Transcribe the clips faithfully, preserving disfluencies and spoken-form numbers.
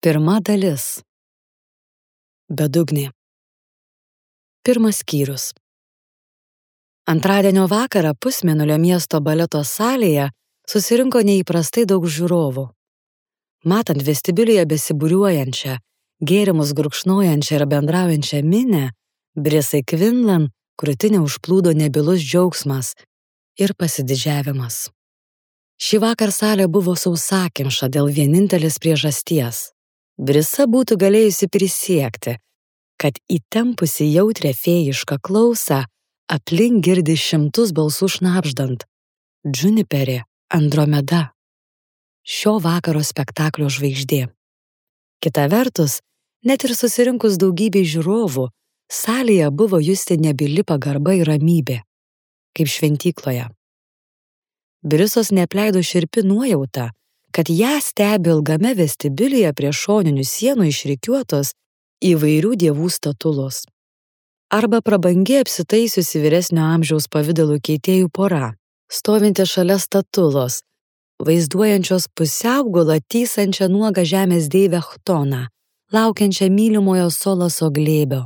Pirma dalis. Bedugnė. Pirmas skyrius. Antradienio vakarą Pusmėnulio miesto baleto salėje susirinko neįprastai daug žiūrovų. Matant vestibiulyje besibūriuojančią, gėrimus gurkšnojančią ir bendraujančią minią, Brisai Quinlan krūtinę užplūdo nebylus džiaugsmas ir pasididžiavimas. Šį vakar salė buvo sausakimša dėl vienintelės priežasties. Brisa būtų galėjusi prisiekti, kad įtempusi jautrią fėjišką klausą aplink girdi šimtus balsų šnabždant: Juniperė, Andromeda, šio vakaro spektaklio žvaigždė. Kita vertus, net ir susirinkus daugybei žiūrovų, salėje buvo justi nebyli pagarba ir ramybė, kaip šventykloje. Brisos neapleido šiurpi nuojauta, kad ją stebi ilgame vestibiulyje prie šoninių sienų išrikiuotos įvairių dievų statulos. Arba prabangiai apsitaisiusi vyresnio amžiaus pavidalų keitėjų pora, stovinti šalia statulos, vaizduojančios pusiaugulą tysančią nuogą žemės deivę Chtoną, laukiančią mylimojo Solaso glėbio.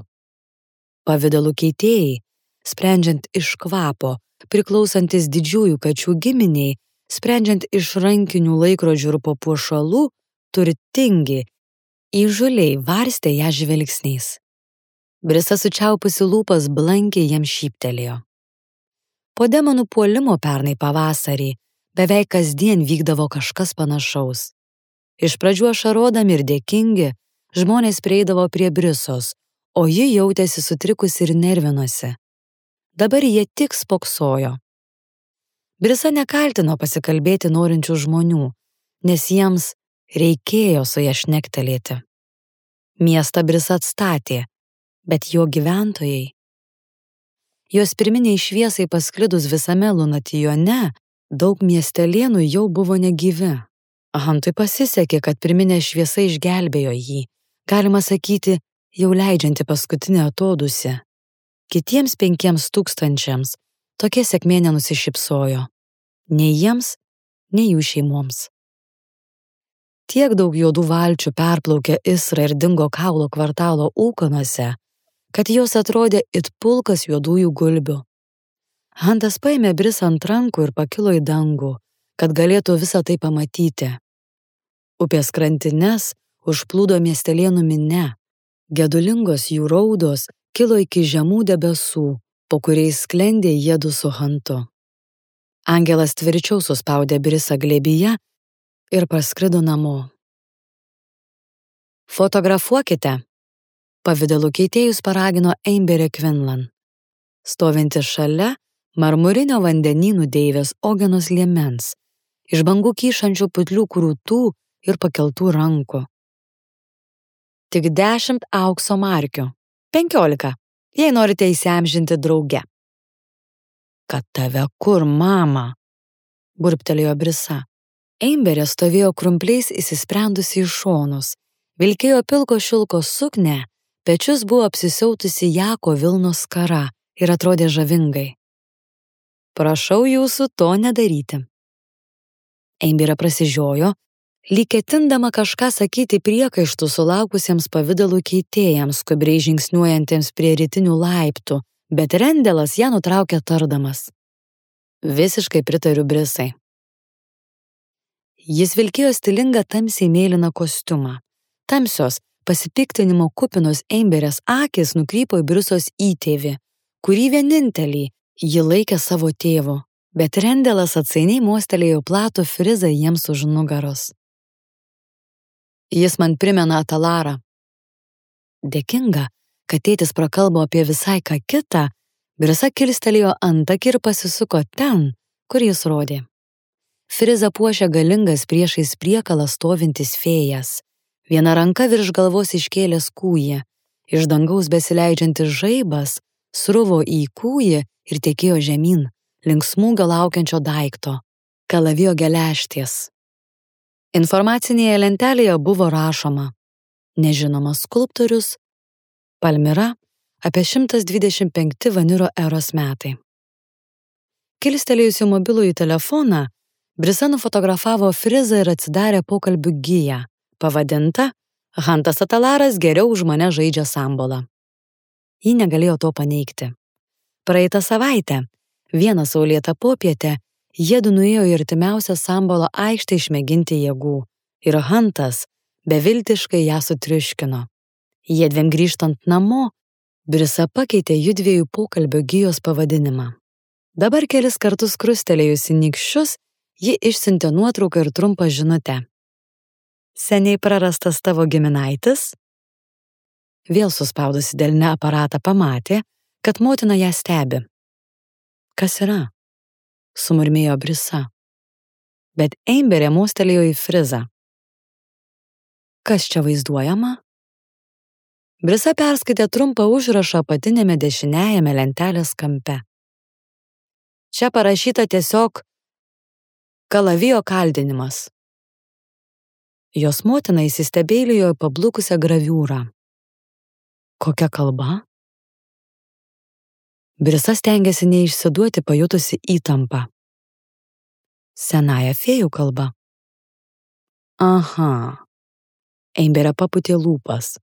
Pavidalų keitėjai, sprendžiant iš kvapo, priklausantis didžiųjų kačių giminiai, sprendžiant iš rankinių laikrodžių ir papuošalų, turtingi, įžūliai varstė ją žvilgsniais. Brisa sučiaupusi lūpas blankiai jam šyptelėjo. Po demonų puolimo pernai pavasarį beveik kasdien vykdavo kažkas panašaus. Iš pradžių ašarodami ir dėkingi, žmonės prieidavo prie Brisos, o ji jautėsi sutrikusi ir nervinosi. Dabar jie tik spoksojo. Brisa nekaltino pasikalbėti norinčių žmonių, nes jiems reikėjo su ja šnektelėti. Miestą Brisa atstatė, bet jo gyventojai. Jos pirminiai šviesai pasklidus visame Lunatijone, daug miestelėnų jau buvo negyvi. Hantui pasisekė, kad pirminė šviesa išgelbėjo jį, galima sakyti, jau leidžianti paskutinę atodūsį. Kitiems penkiems tūkstančiams tokia sėkmė nenusišypsojo. Nei jiems, nei jų šeimoms. Tiek daug juodų valčių perplaukė Isrą ir dingo kaulo kvartalo ūkanose, kad jos atrodė it pulkas juodųjų gulbių. Hantas paėmė Brisą ant rankų ir pakilo į dangų, kad galėtų visą tai pamatyti. Upės krantines užplūdo miestelėnų minia, gedulingos jų raudos kilo iki žemų debesų, po kuriais sklendė jiedu su Hantu. Angelas tvirčiau suspaudė Brisą glėbyje ir paskrido namo. Fotografuokite, pavidalų keitėjus paragino Amberė Quinlan, stovinti šalia marmurinio vandenynų deivės Ogenos liemens, iš bangų kyšančių putlių krūtų ir pakeltų rankų. Tik dešimt aukso markių, penkiolika, jei norite įsiamžinti drauge. Kad tave kur, mama? Burbtelėjo Brisa. Amberė stovėjo krumpliais įsisprendusi į šonus, vilkėjo pilko šilko suknę, pečius buvo apsisiautusi jako vilnos skara ir atrodė žavingai. Prašau jūsų to nedaryti. Amberė prasižiojo, lyg ketindama kažką sakyti priekaištų sulaukusiems pavidalų keitėjams, skubriai žingsniuojantiems prie rytinių laiptų, bet Rendelas ją nutraukė tardamas. Visiškai pritariu Brisai. Jis vilkėjo stilingą tamsiai mėlyną kostiumą. Tamsios, pasipiktinimo kupinos Amberės akys nukrypo į Brisos įtėvį, kurį vienintelį ji laikė savo tėvu, bet Rendelas atsainiai mostelėjo platų frizą jiems už nugaros. Jis man primena Atalarą. Dėkinga, kad tėtis prakalbo apie visai ką kitą, Brisa kilstelėjo antakį ir pasisuko ten, kur jis rodė. Frizą puošė galingas priešais priekalą stovintis fėjas. Viena ranka virš galvos iškėlęs kūjį, iš dangaus besileidžiantis žaibas sruvo į kūjį ir tekėjo žemyn, link smūgio laukiančio daikto, kalavijo geležties. Informacinėje lentelėje buvo rašoma: nežinomas skulptorius, Palmira, apie šimtas dvidešimt penkti Vaniro eros metai. Kilstelėjusi mobilųjį telefoną, Brisa nufotografavo frizą ir atsidarė pokalbių giją, pavadintą Hantas Atalaras geriau už mane žaidžia sambolą. Ji negalėjo to paneigti. Praeitą savaitę, vieną saulėtą popietę, jiedu nuėjo į artimiausią sambolo aikštę išmėginti jėgų ir Hantas beviltiškai ją sutriuškino. Jiedviem grįžtant namo, Brisa pakeitė judviejų pokalbio gijos pavadinimą. Dabar kelis kartus krustelėjusi nykščius, ji išsiuntė nuotrauką ir trumpą žinutę. Seniai prarastas tavo giminaitis? Vėl suspaudusi delne aparatą pamatė, kad motina ją stebi. Kas yra? Sumurmėjo Brisa. Bet Amberė mostelėjo į frizą. Kas čia vaizduojama? Brisa perskaitė trumpą užrašą apatinėme dešiniajame lentelės kampe. Čia parašyta tiesiog kalavijo kaldinimas. Jos motina įsistebeilijo į pablukusią graviūrą. Kokia kalba? Brisa stengėsi neišsiduoti pajutusi įtampą. Senąją fėjų kalba. Aha. Amberė papūtė lūpas,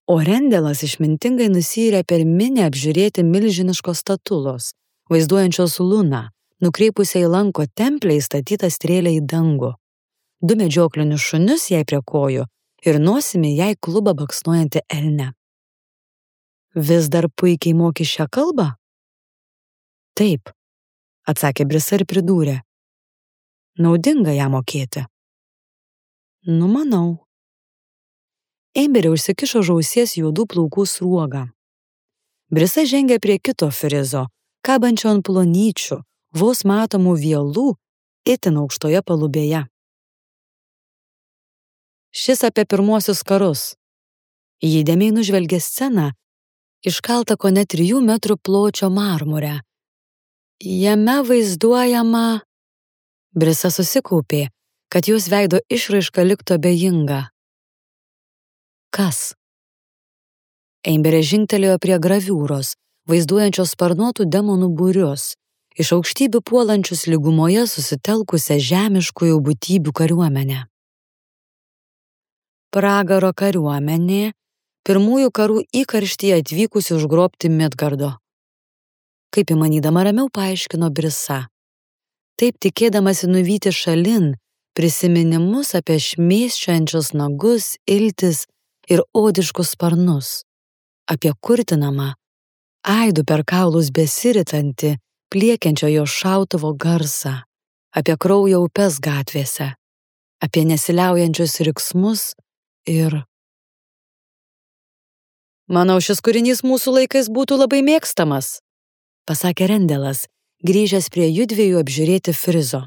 o Rendelas išmintingai nusyrė per minią apžiūrėti milžiniškos statulos, vaizduojančios luną, nukreipusią į lanko templę įstatytą strėlę į dangų, du medžioklinius šunius jai prie kojų ir nosimi jai klubą baksnuojantį elnę. Vis dar puikiai moki šią kalbą? Taip, atsakė Brisa ir pridūrė. Naudinga ją mokėti. Numanau. Amberė užsikišo žausies juodų plaukų sruogą. Brisa žengė prie kito frizo, kabančio ant plonyčių, vos matomų vielų, itin aukštoje palubėje. Šis apie pirmuosius karus. Ji įdėmiai nužvelgė sceną, iškaltą kone trijų metrų pločio marmure. Jame vaizduojama... Brisa susikaupė, kad jos veido išraiška liktų abejinga. Kas? Amberė žingtelėjo prie graviūros, vaizduojančios sparnuotų demonų būrius, iš aukštybių puolančius lygumoje susitelkusią žemiškųjų būtybių kariuomenę. Pragaro kariuomenė, pirmųjų karų įkarštyje atvykusi užgrobti Midgardo. Kaip įmanydama ramiau paaiškino Brisa. Taip tikėdamasi nuvyti šalin prisiminimus apie šmėsčiojančius nagus, iltis ir odiškus sparnus, apie kurtinamą, aidų per kaulus besiritantį, pliekiančio jo šautuvo garsą, apie kraujo upes gatvėse, apie nesiliaujančius riksmus ir... Manau, šis kūrinys mūsų laikais būtų labai mėgstamas, pasakė Rendelas, grįžęs prie judviejų apžiūrėti frizo.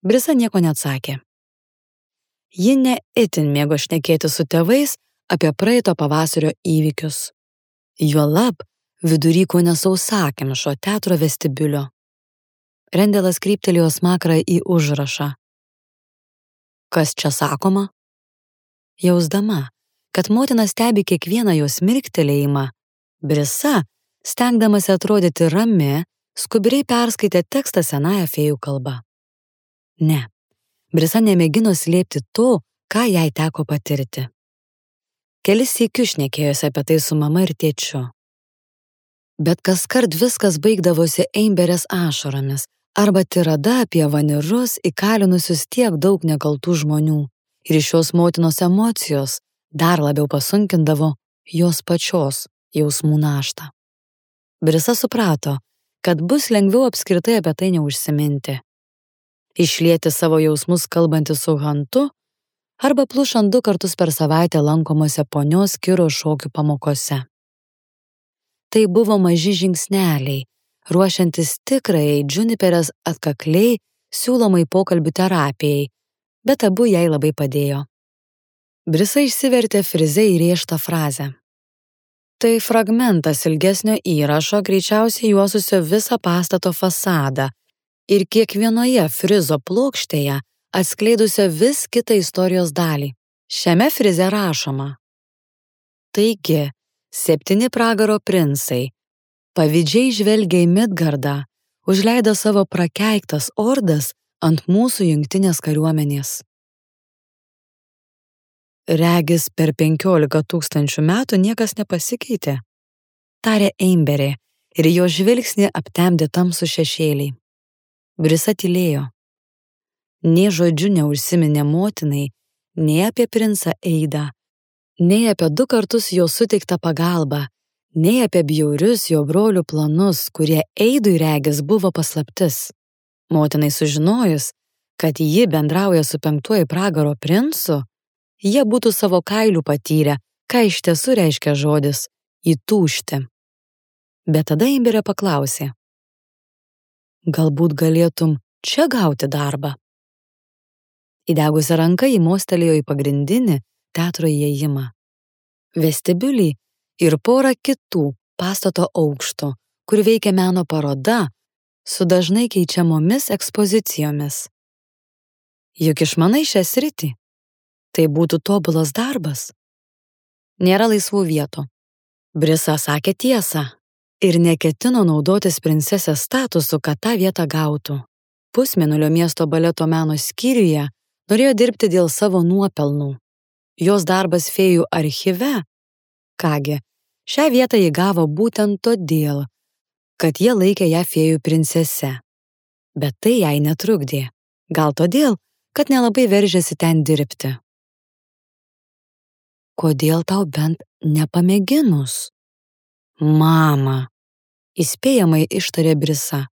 Brisa nieko neatsakė. Ji ne itin mėgo šnekėti su tėvais apie praeito pavasario įvykius. Juolab vidury kone sausakimšo teatro vestibiulio. Rendelas kryptelėjo smakrą į užrašą. Kas čia sakoma? Jausdama, kad motina stebi kiekvieną jos mirktelėjimą, Brisa, stengdamasi atrodyti rami, skubriai perskaitė tekstą senąją fėjų kalbą. Ne. Brisa nemėgino slėpti to, ką jai teko patirti. Kelis sykius šnekėjosi apie tai su mama ir tėčiu. Bet kaskart viskas baigdavosi Amberės ašaromis arba tirada apie vanirus įkalinusius tiek daug nekaltų žmonių ir iš šios motinos emocijos dar labiau pasunkindavo jos pačios jausmų naštą. Brisa suprato, kad bus lengviau apskritai apie tai neužsiminti. Išlieti savo jausmus kalbantis su Hantu arba plušant du kartus per savaitę lankomose ponios Kiro šokių pamokose. Tai buvo maži žingsneliai, ruošiantis tikrajai Juniperės atkakliai siūlomai pokalbių terapijai, bet abu jai labai padėjo. Brisa išsivertė frize įrėžtą frazę. Tai fragmentas ilgesnio įrašo, greičiausiai juosusio visą pastato fasadą ir kiekvienoje frizo plokštėje atskleidusio vis kitą istorijos dalį. Šiame frize rašoma. Taigi, septyni pragaro princai, pavydžiai žvelgia į Midgardą, užleido savo prakeiktas ordas ant mūsų jungtinės kariuomenės. Regis per penkiolika tūkstančių metų niekas nepasikeitė, tarė Amberė ir jo žvilgsnį aptemdė tamsų šešėliai. Brisa tylėjo. Nė žodžiu neužsiminė motinai, nei apie princą Eidą, nei apie du kartus jo suteiktą pagalbą, nei apie bjaurius jo brolių planus, kurie Eidui regis buvo paslaptis. Motinai sužinojus, kad ji bendrauja su penktuoju pragaro princu, jie būtų savo kailių patyrę, ką iš tiesų reiškia žodis įtūžti. Bet tada Amberė paklausė: galbūt galėtum čia gauti darbą? Įdegusią ranką ji mostelėjo į pagrindinį teatro įėjimą, vestibiulį ir porą kitų pastato aukštų, kur veikia meno paroda su dažnai keičiamomis ekspozicijomis. Juk išmanai šią sritį. Tai būtų tobulas darbas. Nėra laisvų vietų. Brisa sakė tiesą ir neketino naudotis princesės statusu, kad tą vietą gautų. Pusmėnulio miesto baleto meno skyriuje norėjo dirbti dėl savo nuopelnų. Jos darbas fėjų archyve, kągi, šią vietą ji gavo būtent todėl, kad jie laikė ją fėjų princese. Bet tai jai netrukdė. Gal todėl, kad nelabai veržėsi ten dirbti. Kodėl tau bent nepamėginus? Mama, įspėjamai ištarė Brisa.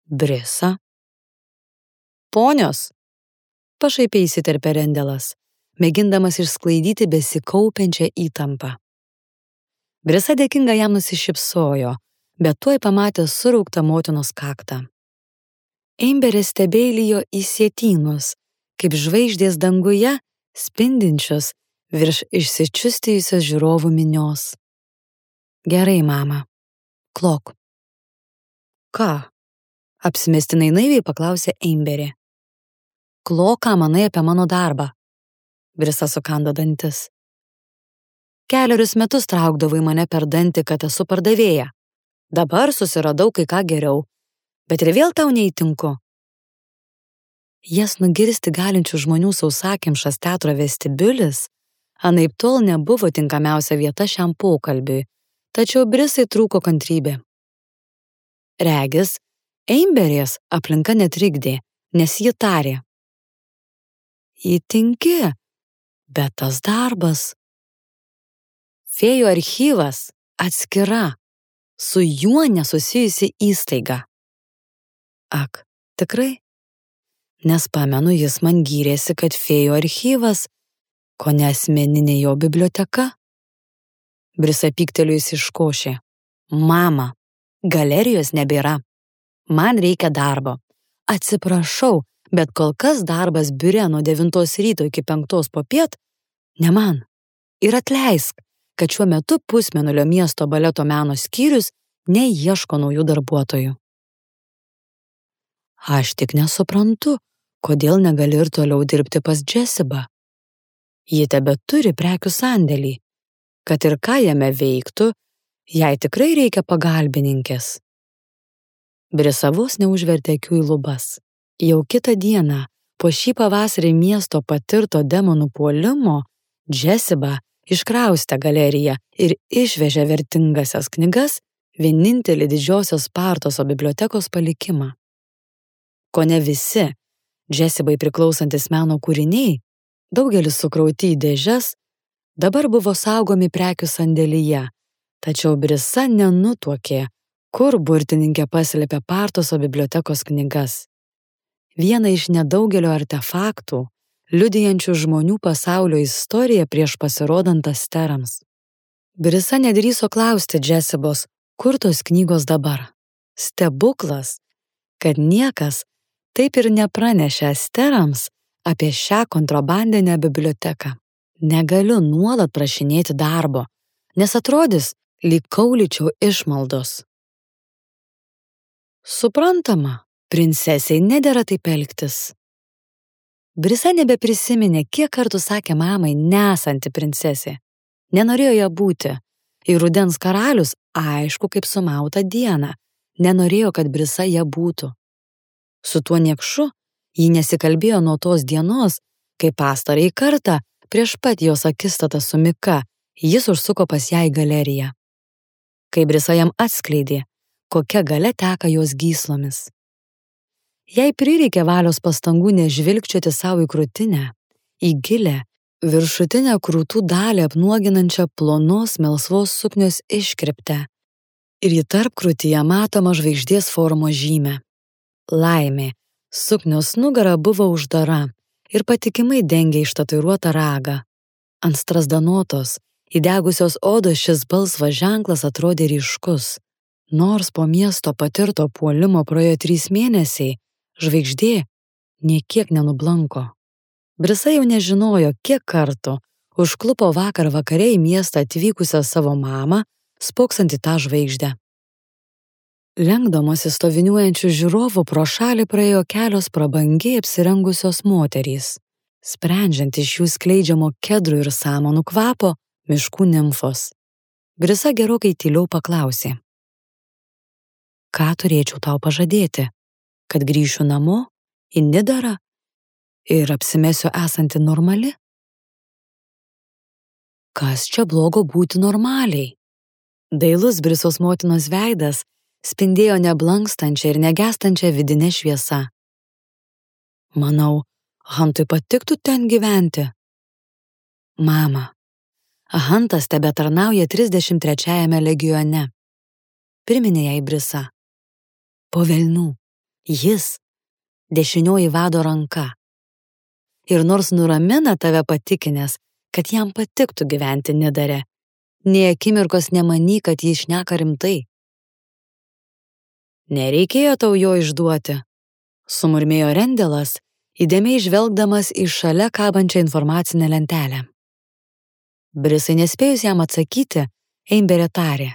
Brisa? Ponios, pašaipiai įsiterpė Rendelas, mėgindamas išsklaidyti besikaupiančią įtampą. Brisa dėkinga jam nusišypsojo, bet tuoj pamatė surauktą motinos kaktą. Amberė stebeilijo į sietynus, kaip žvaigždės danguje, spindinčios virš išsičiustijusios žiūrovų minios. Gerai, mama. Klok. Ką? Apsimestinai naiviai paklausė Amberė. Klok, ką manai apie mano darbą? Brisa sukando dantis. Kelerius metus traukdavai mane per dantį, kad esu pardavėja. Dabar susiradau kai ką geriau, bet ir vėl tau neįtinku. Jas nugirsti galinčių žmonių sausakimšas teatro vestibiulis anaiptol nebuvo tinkamiausia vieta šiam pokalbiui, tačiau Brisai trūko kantrybė. Regis, Amberės aplinka netrikdė, nes ji tarė. Įtinki, bet tas darbas. Fėjų archyvas atskira, su juo nesusijusi įstaiga. Ak, tikrai? Nes pamenu, jis man gyrėsi, kad fėjų archyvas, ko ne asmeninė jo biblioteka. Brisa pyktelėjusi iškošė. Mama, galerijos nebėra. Man reikia darbo. Atsiprašau, bet kol kas darbas biure nuo devintos ryto iki penktos popiet ne man. Ir atleisk, kad šiuo metu Pusmėnulio miesto baleto meno skyrius neieško naujų darbuotojų. Aš tik nesuprantu, kodėl negali ir toliau dirbti pas Jessibą. Ji tebeturi prekių sandėlį. Kad ir ką jame veiktų, jai tikrai reikia pagalbininkės. Brisa vos neužvertė akių į lubas. Jau kitą dieną, po šį pavasarį miesto patirto demonų puolimo, Jessiba iškraustė galeriją ir išvežė vertingasias knygas, vienintelį didžiosios Spartoso bibliotekos palikimą. Kone visi Jessibai priklausantis meno kūriniai, daugelis sukrauti į dėžes, dabar buvo saugomi prekių sandėlyje, tačiau Brisa nenutuokė, kur burtininkė paslėpė Partoso bibliotekos knygas. Viena iš nedaugelio artefaktų, liudijančių žmonių pasaulio istoriją prieš pasirodant asterams. Brisa nedrįso klausti Jessibos, kur tos knygos dabar. Stebuklas, kad niekas taip ir nepranešė asterams apie šią kontrabandinę biblioteką. Negaliu nuolat prašinėti darbo, nes atrodys, lyg kaulyčiau išmaldos. Suprantama, princesei nedera taip elgtis. Brisa nebeprisiminė, kiek kartų sakė mamai nesanti princesė. Nenorėjo ją būti. Ir rudens karalius, aišku, kaip sumauta diena, nenorėjo, kad Brisa ją būtų. Su tuo niekšu ji nesikalbėjo nuo tos dienos, kai pastarąjį kartą Prieš pat jos akistatą su Mika, jis užsuko pas ją į galeriją. Kai Brisa jam atskleidė, kokia galia teka jos gyslomis. Jai prireikė valios pastangų nežvilgčioti savo į krūtinę, į gilę, viršutinę krūtų dalį apnuoginančią plonos melsvos suknios iškirptę ir į tarpkrūtyje matomą žvaigždės formos žymę. Laimė, suknios nugara buvo uždara ir patikimai dengė ištatuiruotą ragą. Ant strazdanotos, įdegusios odos šis balsvas ženklas atrodė ryškus. Nors po miesto patirto puolimo praėjo trys mėnesiai, žvaigždė nė kiek nenublanko. Brisa jau nežinojo, kiek kartų užklupo vakar vakare į miestą atvykusią savo mamą, spoksant į tą žvaigždę. Lenkdamosi stoviniuojančių žiūrovų pro šalį praėjo kelios prabangiai apsirengusios moterys. Sprendžiant iš jų skleidžiamo kedrų ir samanų kvapo, miškų nimfos. Brisa gerokai tyliau paklausė. Ką turėčiau tau pažadėti? Kad grįšiu namo, į Nidarą ir apsimesiu esanti normali? Kas čia blogo būti normaliai? Dailus Brisos motinos veidas spindėjo neblankstančią ir negęstančią vidinę šviesą. Manau, Hantui patiktų ten gyventi. Mama, Hantas tebetarnauja trisdešimt trečiajame legione. Priminė jai Brisa. Po velnių, jis dešinioji vado ranka. Ir nors nuramina tave patikinęs, kad jam patiktų gyventi Nidare, nė akimirkos nemanyk, kad jis šneka rimtai. Nereikėjo tau jo išduoti, sumurmėjo Rendelas, įdėmiai žvelgdamas į šalia kabančią informacinę lentelę. Brisai nespėjus jam atsakyti, Eimberė tarė.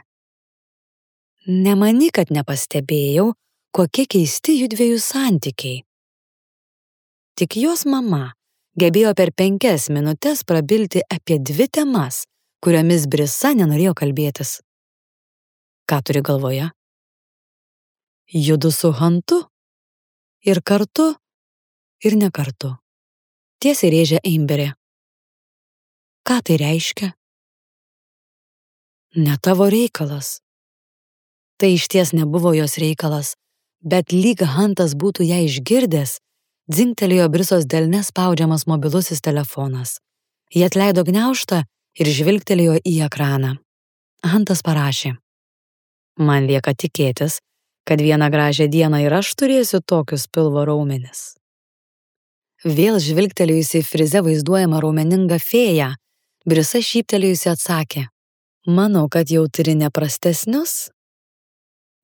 Nemanyk, kad nepastebėjau, kokie keisti judviejų santykiai. Tik jos mama gebėjo per penkias minutes prabilti apie dvi temas, kuriomis Brisa nenorėjo kalbėtis. Ką turi galvoje? Judu su Hantu? Ir kartu, ir ne kartu. Tiesiai rėžė Eimberė. Ką tai reiškia? Ne tavo reikalas. Tai išties nebuvo jos reikalas, bet lyg Hantas būtų ją išgirdęs, dzingtelėjo Brisos delne spaudžiamas mobilusis telefonas. Ji atleido gniaužtą ir žvilgtelėjo į ekraną. Hantas parašė. Man lieka tikėtis, kad vieną gražią dieną ir aš turėsiu tokius pilvo raumenis. Vėl žvilgtelėjusi į frize vaizduojamą raumeningą fėją, Brisa šyptelėjusi atsakė. Manau, kad jau turi neprastesnius?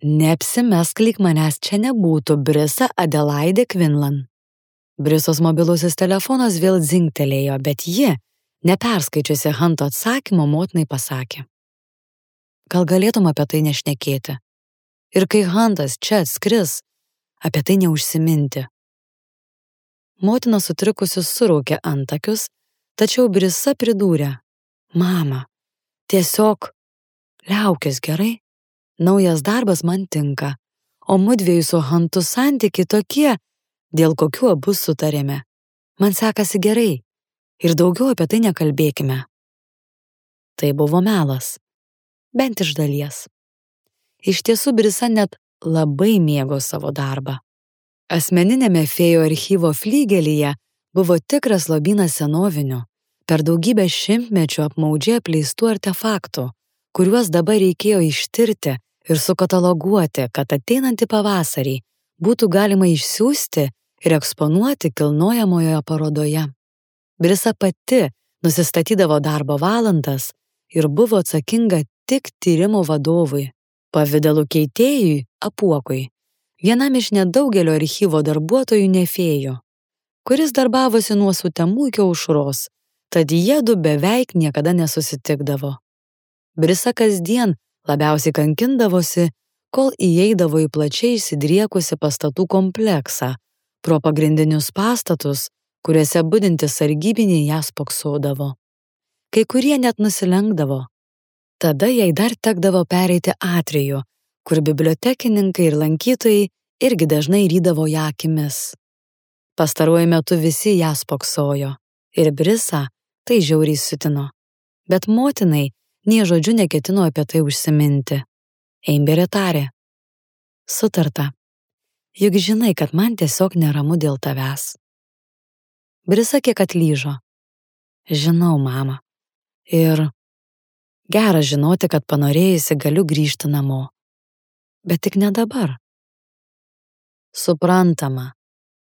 Neapsimesk, lyg manęs čia nebūtų, Brisa Adelaide Quinlan. Brisos mobilusis telefonas vėl dzingtelėjo, bet ji, neperskaičiusi Hanto atsakymo, motinai pasakė. Gal galėtum apie tai nešnekėti? Ir kai Hantas čia atskris, apie tai neužsiminti. Motina sutrikusi suraukė antakius, tačiau Brisa pridūrė. Mama, tiesiog liaukis gerai? Naujas darbas man tinka, o mudviejų su Hantu santykiai tokie, dėl kokių abu sutarėme. Man sekasi gerai ir daugiau apie tai nekalbėkime. Tai buvo melas, bent iš dalies. Iš tiesų Brisa net labai mėgo savo darbą. Asmeninėme fėjų archyvo flygelyje buvo tikras lobynas senovinių, per daugybę šimtmečių apmaudžiai apleistų artefaktų, kuriuos dabar reikėjo ištirti ir sukataloguoti, kad ateinantį pavasarį būtų galima išsiųsti ir eksponuoti kilnojamojoje parodoje. Brisa pati nusistatydavo darbo valandas ir buvo atsakinga tik tyrimo vadovui, pavidalų keitėjui Apuokui, vienam iš nedaugelio archyvo darbuotojų nefėjų, kuris darbavosi nuo sutemų iki aušros, tad jiedu beveik niekada nesusitikdavo. Brisa kasdien labiausiai kankindavosi, kol įeidavo į plačiai įsidriekusi pastatų kompleksą, pro pagrindinius pastatus, kuriuose budintys sargybiniai ją spoksodavo. Kai kurie net nusilenkdavo. Tada jai dar tekdavo pereiti atrijų, kur bibliotekininkai ir lankytojai irgi dažnai rydavo ją akimis. Pastaruoju metu visi ją spoksojo, ir Brisa Tai žiauriai siutino. Bet motinai nė žodžiu neketino apie tai užsiminti. Amberė tarė. Sutarta. Juk žinai, kad man tiesiog neramu dėl tavęs. Brisa kiek atlyžo. Žinau, mama. Ir gera žinoti, kad panorėjusi galiu grįžti namo. Bet tik ne dabar. Suprantama.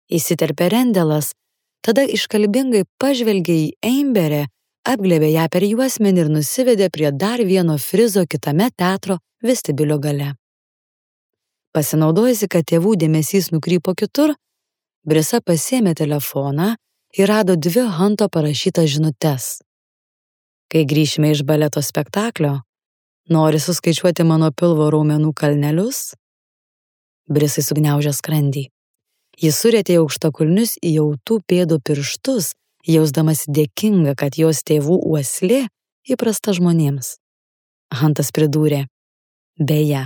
Įsiterpė Rendelas, tada iškalbingai pažvelgė į Amberę, apglėbė ją per juosmenį ir nusivedė prie dar vieno frizo kitame teatro vestibiulio gale. Pasinaudojusi, kad tėvų dėmesys nukrypo kitur, Brisa pasiėmė telefoną ir rado dvi Hunto parašytas žinutes. Kai grįšime iš baleto spektaklio, nori suskaičiuoti mano pilvo raumenų kalnelius? Brisai sugniaužė skrandį. Jis surėtė aukštakulnius į jautų pėdų pirštus, jausdamas dėkinga, kad jos tėvų uoslė įprasta žmonėms. Huntas pridūrė. Beje,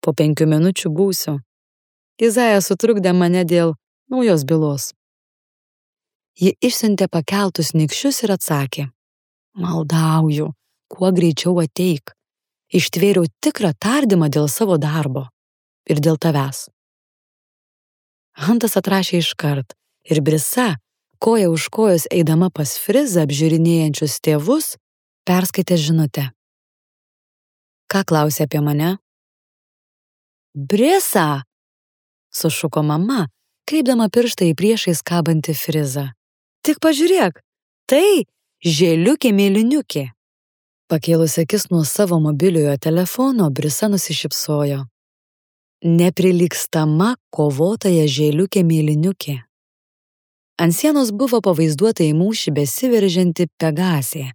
po penkių minučių būsiu. Izaja sutrukdė mane dėl naujos bylos. Ji išsiuntė pakeltus nykščius ir atsakė. Maldauju, kuo greičiau ateik. Ištvėriau tikrą tardymą dėl savo darbo ir dėl tavęs. Huntas atrašė iškart ir Brisa, koja už kojos eidama pas frizą apžiūrinėjančius tėvus, perskaitė žinutę. Ką klausė apie mane? Brisa! Sušuko mama, kreipdama pirštą į priešais kabantį frizą. Tik pažiūrėk, tai žėliukė mėlyniukė. Pakėlusi akis nuo savo mobiliojo telefono, Brisa nusišypsojo. Neprilygstama kovotoja žėliukė mėlyniukė. Ant sienos buvo pavaizduota į mūšį besiveržianti Pegasė.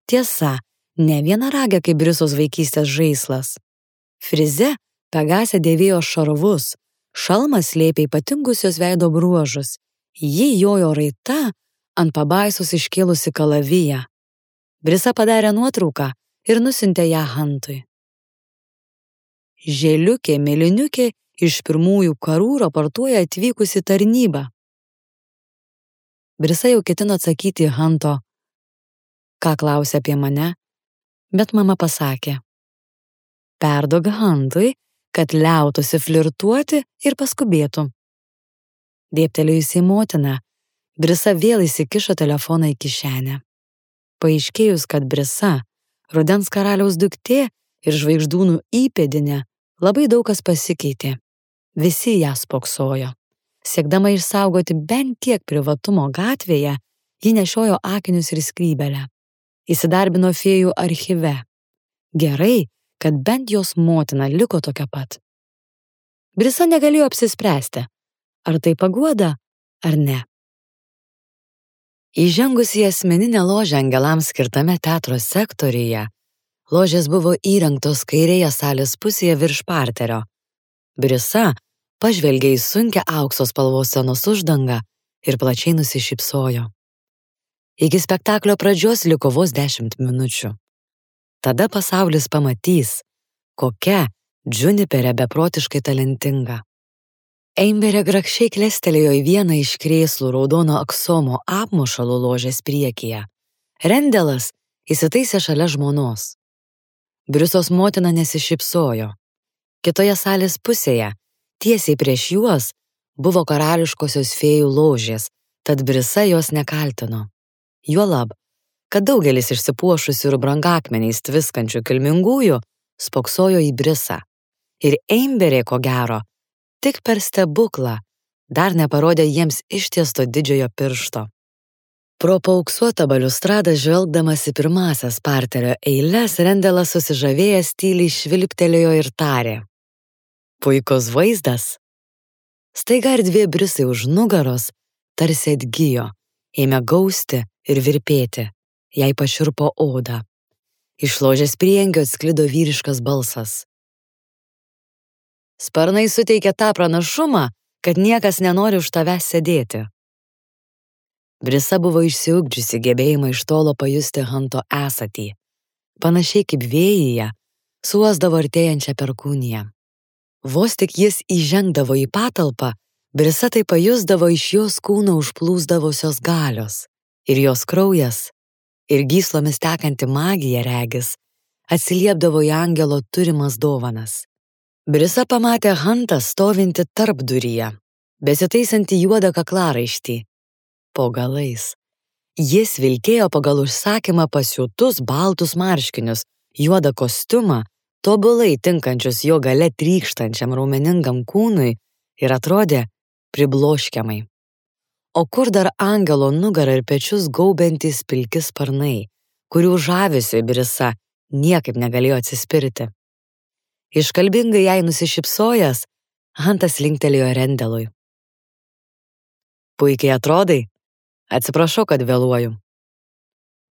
Tiesa, ne vienaragė kaip Brisos vaikystės žaislas. Frize Pegasė dėvėjo šarvus, šalmas slėpė ypatingus jos veido bruožus. Ji jojo raita ant pabaisos iškėlusi kalaviją. Brisa padarė nuotrauką ir nusiuntė ją Huntui. Žėliukė mėlyniukė iš pirmųjų karų raportuoja atvykusi tarnybą. Brisa jau ketino atsakyti Hunto, ką klausė apie mane, bet mama pasakė. Perduok Huntui, kad liautųsi flirtuoti ir paskubėtų. Dėbtelėjusi į motiną, Brisa vėl įsikišo telefoną į kišenę. Paaiškėjus, kad Brisa, rudens karaliaus duktė ir žvaigždūnų įpėdinė, labai daug kas pasikeitė. Visi ją spoksojo. Siekdama išsaugoti bent kiek privatumo gatvėje, ji nešiojo akinius ir skrybelę. Įsidarbino fėjų archyve. Gerai, kad bent jos motina liko tokia pat. Brisa negalėjo apsispręsti, ar tai paguoda, ar ne. Įžengus į asmeninę ložę angelams skirtame teatro sektoriuje, ložės buvo įrengtos kairėje salės pusėje virš parterio. Brisa pažvelgė į sunkią aukso spalvos scenos uždangą ir plačiai nusišypsojo. Iki spektaklio pradžios liko vos dešimt minučių. Tada pasaulis pamatys, kokia Juniperė beprotiškai talentinga. Amberė grakščiai klestelėjo į vieną iš krėslų raudono aksomo apmušalų ložės priekyje. Rendelas įsitaisė šalia žmonos. Brisos motina nesišypsojo. Kitoje salės pusėje, tiesiai prieš juos, buvo karališkosios fėjų ložės, tad Brisa jos nekaltino. Juolab, kad daugelis išsipuošusių ir brangakmeniais tviskančių kilmingųjų spoksojo į Brisą. Ir Amberė, ko gero, tik per stebuklą dar neparodė jiems ištiesto didžiojo piršto. Pro paauksuotą baliustradą žvelgdamas į pirmasias parterio eiles, Rendelas susižavėjęs tyliai švilptelėjo ir tarė. Puikus vaizdas. Staiga erdvė Brisai už nugaros tarsi atgijo, ėmė gausti ir virpėti, jai pašiurpo odą. Iš ložės priengio atsklido vyriškas balsas. Sparnai suteikė tą pranašumą, kad niekas nenori už tavęs sėdėti. Brisa buvo išsiugdžiusi gebėjimą iš tolo pajusti Hunto esatį. Panašiai kaip vėjyje, suosdavo artėjančią perkūniją. Vos tik jis įžengdavo į patalpą, Brisa tai pajusdavo iš jos kūno užplūsdavusios galios ir jos kraujas ir gyslomis tekanti magija regis atsiliepdavo į angelo turimas dovanas. Brisa pamatė Hantą stovinti tarpduryje, besitaisantį juodą kaklaraištį po galais. Jis vilkėjo pagal užsakymą pasiūtus baltus marškinius, juodą kostiumą, tobulai tinkančius jo gale trykštančiam raumeningam kūnui ir atrodė pribloškiamai. O kur dar angelo nugarą ir pečius gaubiantys pilki sparnai, kurių žavesiui Brisa niekaip negalėjo atsispirti. Iškalbingai jai nusišypsojęs, Hantas linktelėjo Rendelui. Puikiai atrodai, atsiprašau, kad vėluoju.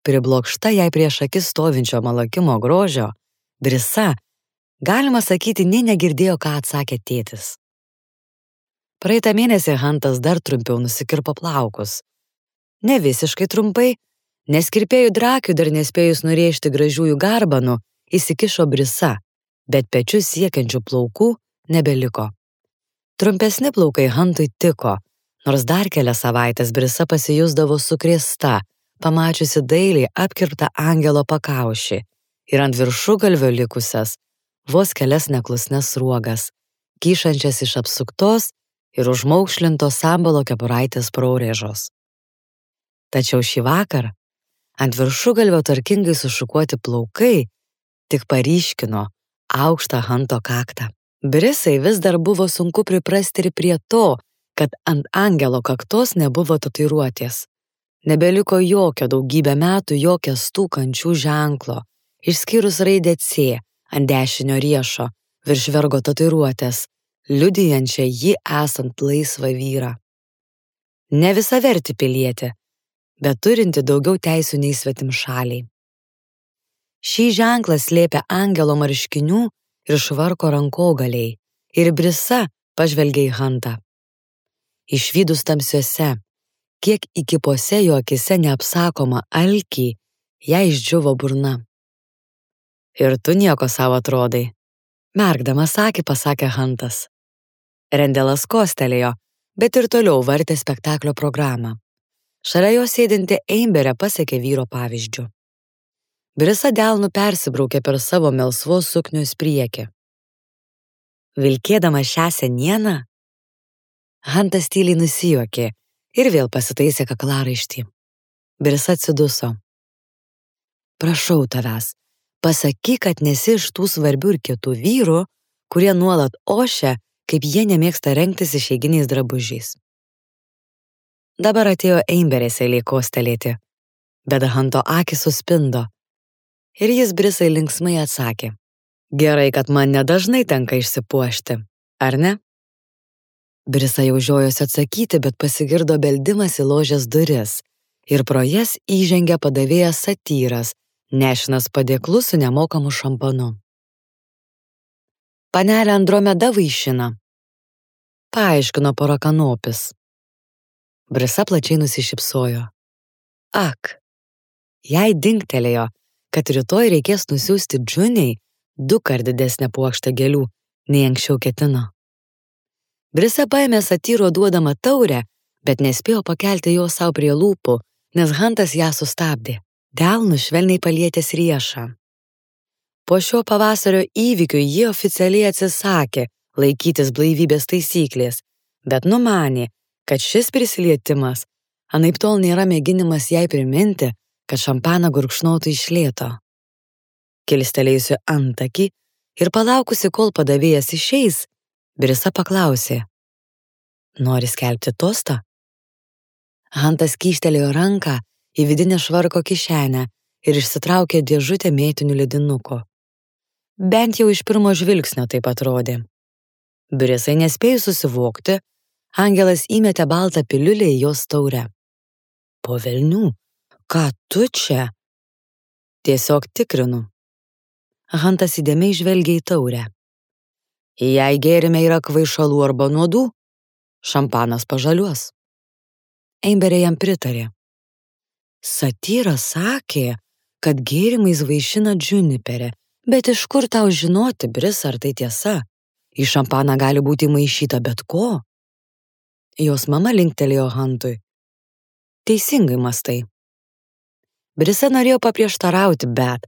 Priblokšta jai prieš akis stovinčio malakimo grožio, Brisa, galima sakyti, nė negirdėjo, ką atsakė tėtis. Praeitą mėnesį Hantas dar trumpiau nusikirpo plaukus. Ne visiškai trumpai, nes kirpėjų drakių dar nespėjus nurėžti gražiųjų garbanų, įsikišo Brisa, bet pečius siekiančių plaukų nebeliko. Trumpesni plaukai Hantui tiko, nors dar kelias savaitės Brisa pasijusdavo sukrėsta, pamačiusi dailiai apkirptą angelo pakaušį ir ant viršugalvio likusias vos kelias neklusnes sruogas, kyšančias iš apsuktos ir užmaukšlintos sambalo kepuraitės praurėžos. Tačiau šį vakarą ant viršugalvio tvarkingai sušukuoti plaukai tik paryškino aukštą Hanto kaktą. Brisai vis dar buvo sunku priprasti ir prie to, kad ant angelo kaktos nebuvo tatuiruotės. Nebeliko jokio daugybę metų jokio stūkančių ženklo, išskyrus raidę C ant dešinio riešo virš vergo tatuiruotės, liudijančią jį esant laisvą vyrą. Ne visavertį pilietį, bet turinti daugiau teisių nei svetimšaliai. Šį ženklą slėpė angelo marškinių ir švarko rankogaliai, ir Brisa pažvelgė į Hantą. Išvydus tamsiuose, kiek įkipose jo akise neapsakoma alkį, jai išdžiuvo burna. Ir tu nieko savo atrodai, merkdamas akį pasakė Hantas. Rendelas kostelėjo, bet ir toliau vartė spektaklio programą. Šalia jo sėdinti Eimberė pasekė vyro pavyzdžiu. Brisa delnu persibraukė per savo melsvos suknios priekį. Vilkėdama šią senieną, Hantas tyliai nusijuokė ir vėl pasitaisė kaklaraištį. Brisa atsiduso. Prašau tavęs, pasakyk, kad nesi iš tų svarbių ir kitų vyrų, kurie nuolat ošia, kaip jie nemėgsta rengtis išeiginiais drabužiais. Dabar atėjo Eimberės eilė kostelėti, bet Hanto akys suspindo. Ir jis Brisai linksmai atsakė. Gerai, kad man nedažnai tenka išsipuošti, ar ne? Brisa jau žiojosi atsakyti, bet pasigirdo beldimas į ložės duris ir pro jas įžengė padavėjas Satyras, nešinas padėklu su nemokamu šampanu. Panelė Andromeda vaišina, paaiškino pora kanopis. Brisa plačiai nusišypsojo. Ak, jai dingtelėjo, kad rytoj reikės nusiųsti Džuniai du kart didesnę puokštę gėlių, nei anksčiau ketino. Brisa paėmė Satyro duodamą taurę, bet nespėjo pakelti jo savo prie lūpų, nes Hantas ją sustabdė, delnu švelniai palietęs riešą. Po šio pavasario įvykių jie oficialiai atsisakė laikytis blaivybės taisyklės, bet numanė, kad šis prisilietimas anaiptol nėra mėginimas jai priminti, kad šampaną gurkšnotų iš lėto. Kilstelėjusi antakį ir palaukusi, kol padavėjas išeis, Brisa paklausė. Nori skelbti tostą? Hantas kyštelėjo ranką į vidinę švarko kišenę ir išsitraukė dėžutę mėtinių ledinukų. Bent jau iš pirmo žvilgsnio taip atrodė. Brisai nespėjus susivokti, angelas įmetė baltą piliulę į jos taurę. Po velnių, ką tu čia? Tiesiog tikrinu. Hantas įdėmiai žvelgė į taurę. Jei gėrime yra kvaišalų arba nuodų, šampanas pažaliuos. Eimberė jam pritarė. Satyras sakė, kad gėrimais vaišina džuniperė, bet iš kur tau žinoti, Brisa, ar tai tiesa? Į šampaną gali būti maišyta bet ko. Jos mama linktelėjo Hantui. Teisingai mastai. Brisa norėjo paprieštarauti, bet